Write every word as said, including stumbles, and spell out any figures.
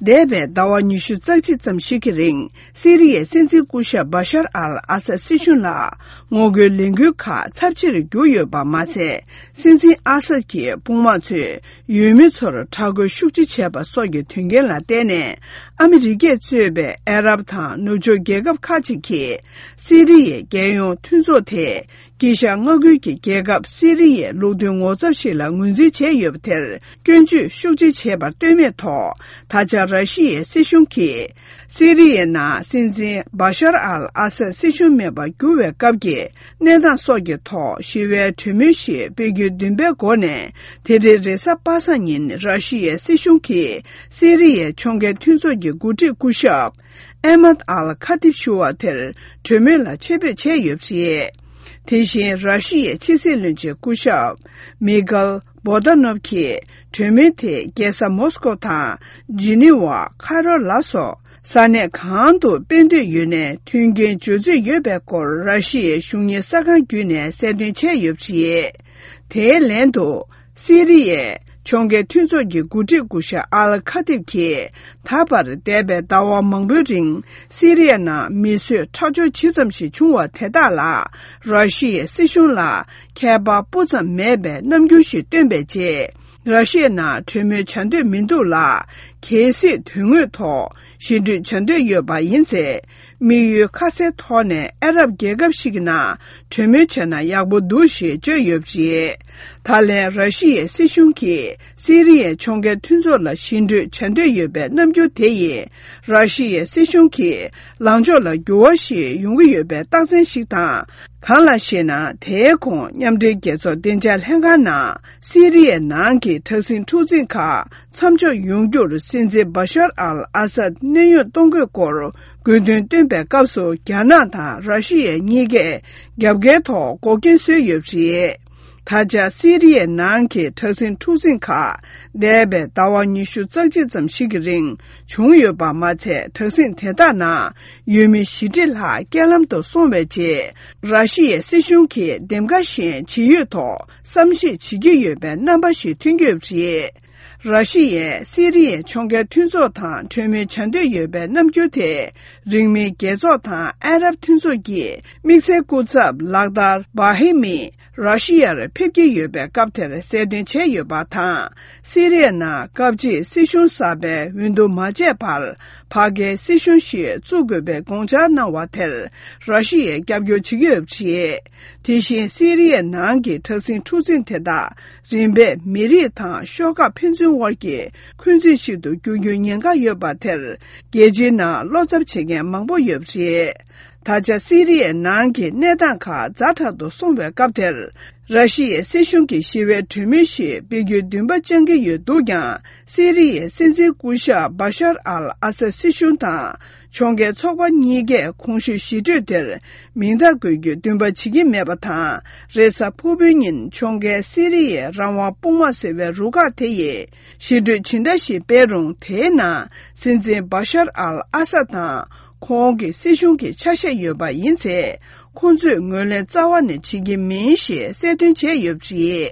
འདས་པའི་ཟླ་བ་ཉི་ཤུ་རྩ་གཅིག་ཙམ་ཞིག་གི་རིང་། སི་རི་ཡའི་སྲིད་འཛིན་སྐུ་ཞབས་བ་ཤར་ཨལ་ཨ་སད་སྲིད་གཞུང་ལ་ངོ་རྒོལ་ལས་འགུལ་ཁག་ཚབས་ཆེར་གྱུར་ཡོད་པ་མ་ཟད། སྲིད་འཛིན་ཨ་སད་ཀྱི་དཔུང་དམག་ཚོས་འོས་མི་ཚོར་དྲག་རྒོལ་ཤུགས་ཆེ་བྱས་པ་སོགས་ཀྱི་དོན་རྐྱེན་ལ་བརྟེན་ནས། ཨ་མི་རི་ཀས་གཙོས་པའི་ཨ་རབ་དང་ནུབ་ཕྱོགས་རྒྱལ་ཁབ་ཁག་ཅིག་གིས་སི་རི་ཡའི་རྒྱལ་ཡོངས་མཐུན་ཚོགས་དེ། དཀྱིལ་ཤར་མངའ་ཁུལ་གྱི་རྒྱལ་ཁབ་སི་རི་ཡའི་ལུགས་མཐུན་ངོ་ཚབ་ཞིག་ལ་ངོས་འཛིན་བྱས་ཡོད་པ་དེར་སྐྱོན་བརྗོད་ཤུགས་ཆེ་བྱས་པར་ལྟོས་མེད་ཐོག། ད་ཆ་ར་ཤི་ཡའི་སྲིད་གཞུང་གིས་སི་རི་ཡའི་ནང་སྲིད་འཛིན་བ་ཤར་ཨལ་ཨ་སད་སྲིད་གཞུང་མེད་པར་གྱུར་བའི་སྐབས་ཀྱི་གནས་སྟངས་སོགས་ཀྱི་ཐོག་ཞི་བའི་གྲོས་མོལ་ཞིག་སྤེལ་རྒྱུའི་འདུན་པའི་སྒོ་ནས། དེ་རིང་རེས་གཟའ་པ་སངས་ཉིན་ར་ཤི་ཡའི་སྲིད་གཞུང་གིས་སི་རི་ཡའི་ཕྱོགས་འགལ་མཐུན་ཚོགས་ཀྱི་འགོ་ཁྲིད་སྐུ་ཞབས་ཨེ་མད་ཨལ་ཁ་ཐིབ་ཞུ་བ་དེར་གྲོས་མོལ་ལ་ཆེད་འབོད་བྱས་ཡོད་པ་རེད། དེ་བཞིན་ར་ཤི་ཡའི་ཕྱི་སྲིད་བློན་ཆེན་སྐུ་ཞབས་མི་ཁལ་བོ་ཏ་ནོབ་ཀྱིས་གྲོས་མོལ་དེ་རྒྱལ་ས་མོ་སི་ཀོ་དང་ཇི་ནི་ཝ། ཁ་རོ་ལ་སོགས་ས་གནས་གང་དུ་སྤེལ་འདོད་ཡོད་ནའི་མཐུན་རྐྱེན་སྦྱོར་རྩིས་ཡོད་པའི་སྐོར་ར་ཤི་ཡའི་གཞུང་གཉེར་གསར་ཁང་བརྒྱུད་ནས་གསལ་སྟོན་བྱས་ཡོད་པ་རེད། དེའི་ལན་དུ། སི་རི་ཡའི་ཕྱོགས་འགལ་མཐུན་ཚོགས་ཀྱི་འགོ་ཁྲིད་སྐུ་ཞབས་ཨལ་ཁ་ཐིབ་ཀྱིས། ད་བར་འདས་པའི་ཟླ་བ་མང་པོའི་རིང་སི་རི་ཡ་ནང་མི་གསོད་ཁྲག་སྦྱོར་ཇི་ཙམ་ཞིག་བྱུང་བ་དེ་དག་ལ་ར་ཤི་ཡའི་སྲིད་གཞུང་ལ་ཁྱད་པར་སྤུ་ཙམ་མེད་པའི་རྣམ་འགྱུར་ཞིག་སྟོན་པའི་རྗེས། ར་ཤི་ཡའི་ནང་གྲོས་མོལ་བྱ་འདོད་མི་འདུག་ལ། གལ་སྲིད་དོན་དངོས་ཐོག་ཞི་གྲོས་བྱ་འདོད་ཡོད་པ་ཡིན་ཚེ། དམིགས་ཡུལ་ཁ་གསལ་ཐོག་ནས་ཨ་རབ་རྒྱལ་ཁབ་ཞིག་གི་ནང་གྲོས་མོལ་བྱས་ན་ཡག་པོ་འདུག་ཞེས་བརྗོད་ཡོད་པ་རེད། ད་ལན་ར་ཤི་ཡའི་སྲིད་གཞུང་གིས་སི་རི་ཡའི་ཕྱོགས་འགལ་མཐུན་ཚོགས་ལ་ཞི་གྲོས་བྱ་འདོད་ཡོད་པའི་རྣམ་འགྱུར་དེ་ཡིས། ར་ཤི་ཡའི་སྲིད་གཞུང་གི་ལངས་ཕྱོགས་ལ་འགྱུར་བ་ཞིག་ཡོང་གི་ཡོད་པའི་རྟགས་མཚན་ཞིག་དང་། གང་ལགས་ཤེ་ན། དེའི་གོང་མཉམ་འབྲེལ་རྒྱལ་ཚོགས་བདེ་འཇགས་ལྷན་ཁང་ནང་སི་རི་ཡའི་ནང་གི་དྲག་ཟིང་འཁྲུག་འཛིང་ཁག་མཚམས་འཇོག་ཡོང་རྒྱུར་སྲིད་འཛིན་བ་ཤར་ཨལ་ཨ་སད་གནས་དབྱུང་གཏོང་དགོས་སྐོར་དགོས་འདུན་བཏོན་པའི་སྐབས་སུ། རྒྱ་ནག་དང་ར་ཤི་ཡ་གཉིས་ཀས་རྒྱབ་འགལ་ཐོག་འགོག་རྐྱེན་བཟོས་ཡོད་པ་རེད། ད་ཆ་སི་རི་ཡའི་ནང་གི་དྲག་ཟིང་འཁྲུག་འཛིང་ཁག་འདས་པའི་ཟླ་བ་ཉི་ཤུ་རྩ་གཅིག་ཙམ་ཞིག་གི་རིང་བྱུང་ཡོད་པ་མ་ཚད། དྲག་ཟིང་དེ་དག་ནང་ཡོད་མི་བཞི་ཁྲི་ལྷག་རྐྱེན་ལམ་དུ་སོང་བའི་རྗེས། ར་ཤི་ཡའི་སྲིད་གཞུང་གིས་འདེམས་ཀ་བཞིན་ཇི་ཡོད་ཐོག་བསམ་ཤེས་བྱེད་ཀྱི་ཡོད་པའི་རྣམ་པ་ཞིག་ཐོན་གྱི་ཡོད་པ་རེད། ར་ཤི་ཡས་སི་རི་ཡའི་ཕྱོགས་འགལ་མཐུན་ཚོགས་དང་གྲོས་མོལ་བྱ་འདོད་ཡོད་པའི་རྣམ་འགྱུར་དེ། རིང་མིན་རྒྱལ་ཚོགས་དང་ཨ་རབ་མཐུན་ཚོགས་ཀྱི་དམིགས་བསལ་སྐུ་ཚབ་ལག་བསྟར་བྷ་ཧི་མི་ར་ཤི་ཡར་ཕེབས་ཀྱི་ཡོད་པའི་སྐབས་དེར་གསལ་སྟོན་བྱས་ཡོད་པ་དང་། སི་རི་ཡ་ནང་སྐབས་གཅིག་སྲིད་གཞུང་གསར་པའི་འོས་བསྡུ་མ་བྱས་བར་ཕ་གིའི་སྲིད་གཞུང་ཞིག་བཙུགས་དགོས་པའི་དགོངས་འཆར་གནང་བ་དེར་ར་ཤི་ཡས་རྒྱབ་སྐྱོར་བྱེད་ཀྱི་ཡོད་པ་རེད། དེ་བཞིན་སི་རི་ཡའི་ནང་གི་དྲག་ཟིང་འཁྲུག་འཛིང་དེ་དག་རིམ་པས་མི་རིགས་དང་ཤོག་ཁག་ཕན་ཚུན་དབར་གྱི་འཁོན་འཛིན་ཞིག་ཏུ་འགྱུར་རྒྱུའི་ཉེན་ཁ་ཡོད་པ་དེར་རྒྱལ་སྤྱིའི་ནང་བློ་འཚབ་བྱེད་མཁན་མང་པོ་ཡོད་པ་རེད། ད་ཆ་སི་རི་ཡའི་ནང་གི་གནས་སྟངས་ཁག་ཛ་དྲག་ཏུ་སོང་བའི་སྐབས་དེར། ར་ཤི་ཡའི་སྲིད་གཞུང་གིས་ཞི་བའི་གྲོས་མོལ་ཞིག་སྤེལ་རྒྱུའི་འདུན་པ་བཅངས་ཀྱི་ཡོད་འདུག་ཀྱང་། སི་རི་ཡའི་སྲིད་འཛིན་སྐུ་ཞབས་བ་ཤར་ཨལ་ཨ་སད་སྲིད་གཞུང་དང་། ཕྱོགས་འགལ་ཚོགས་པ་གཉིས་ཀས་གོང་ཞུས་ཞི་གྲོས་དེར་མིང་རྟགས་འགོད་རྒྱུའི་འདུན་པ་བྱེད་ཀྱི་མེད་པ་དང་། རེས་གཟའ་ཕུར་བུའི་ཉིན་ཕྱོགས་འགལ་སི་རི་ཡའི་རང་དབང་དཔུང་དམག་ཟེར་བའི་རུ་ཁག་དེ་ཡིས་ཞི་གྲོས་ཇི་འདྲ་ཞིག་སྤེལ་རུང་། དེའི་ནང་སྲིད་འཛིན་བ་ཤར་ཨལ་ཨ་སད་དང་ཁོང་གི་སྲིད་གཞུང་གི་ཆ་ཤས་ཡོད་པ་ཡིན་ཚེ། ཁོང་ཚོས་ངོས་ལེན་རྩ་བ་ནས་བྱེད་ཀྱི་མིན་ཞེས་གསལ་སྟོན་བྱས་ཡོད་པ་རེད།